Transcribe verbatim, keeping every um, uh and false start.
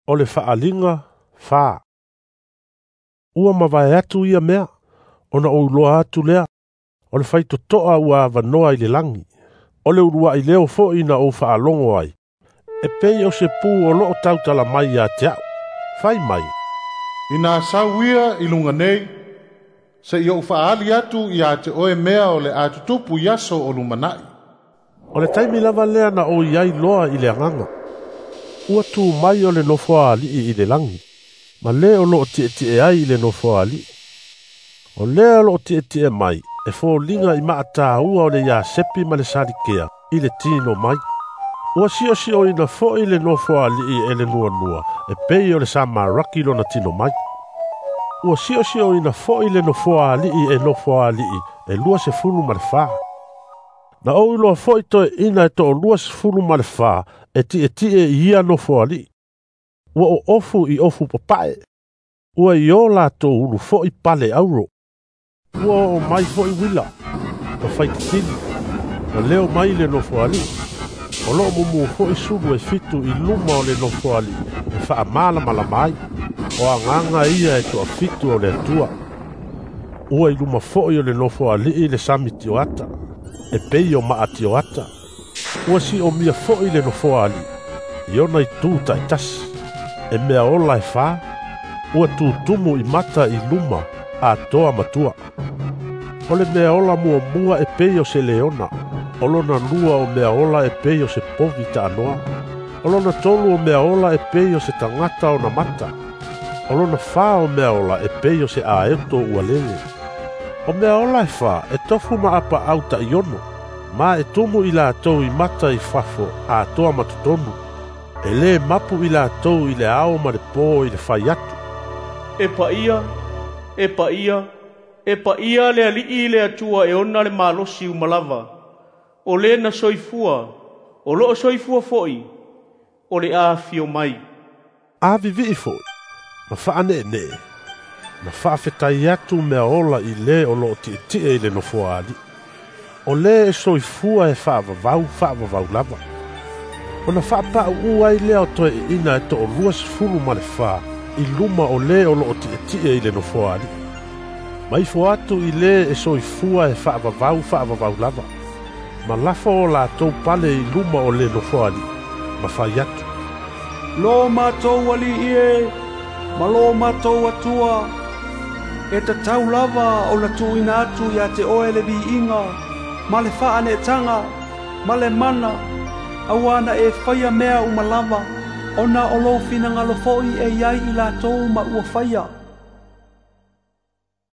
O le faaliga fa. Ua mavae atu ia mea, ona ou iloa atu lea, o le faitotoa ua avanoa i le lagi. O le uluai leo foi na ou faalogo ai, e pei o se pu o loo tautala mai ia te au. Fai mai, ina sau ia i luga nei, seia ou faaali atu ia te oe mea o le a tutupu i aso o lumanai. O le taimi lava lea na ou iai loa i le agaga. Ua tu mai o le nofoa alii i le lagi, ma le o loo tietie ai i le nofoa alii. O lea o loo tietie mai, e foliga i maataua o le iasepi ma le salikea i le tino mai. Ua siosioina foi le nofoa alii e le nuanua, e pei o le samaraki lona tino mai. Ua siosioina foi le nofoa alii e nofoa alii e lua sefulu ma le fa. Na ou iloa foi toeaiina e toalua sefulu ma le fa e tietie i ia nofoa alii. Ua oofu i ofu papae. Ua i o latou ulu foi pale auro. Ua oo mai foi uila, ma faititili, ma leo mai le nofoa alii. O loo mumu foi sulu e fitu i luma o le nofoa alii e faamalamalama ai. O agaga ia e toafitu o le Atua. Ua i luma foi o le nofoa alii le sami tioata, e pei o maa tioata. Ua siomia foi le nofoa alii, i ona itu taitasi. E mea ola e fa, ua tutumu i mata i luma atoa matua. O le mea ola muamua e pei o se leona, o lona lua o mea ola e pei o se povi taanoa. O lona tolu o mea ola e pei o se tagata ona mata. O lona fa o mea ola e pei o se aeto ua lele. O mea ola e fa e tofu ma apaau taiono, ma e tumu i latou i mata i fafo atoa ma totonu. E le mapu i latou i le ao ma le po i le fai atu. E paia, e paia, e paia le alii le Atua e ona le malosi uma lava. O le na soifua, o loo soifua foi, o le afio mai. A vivii foi, ma faaneenee, ma faafetai atu mea ola i le o loo tietie i le nofoa alii. O le e soifua e faavavau faavavau lava. Ona faapauu ai lea o toeaiina e toalua sefulu ma le fa i luma o le o loo tietie i le nofoa alii. Ma ifo atu i le e soifua e faavavau faavavau lava. Ma lafo o latou pale i luma o le nofoa alii, ma fai atu. Lo matou alii e, ma lo matou Atua, e tatau lava ona tuuina atu ia te oe le viiga, ma le faaneetaga, ma le mana, auā na e faia mea uma lava, ona o lou finagalo foi e iai i latou ma ua faia.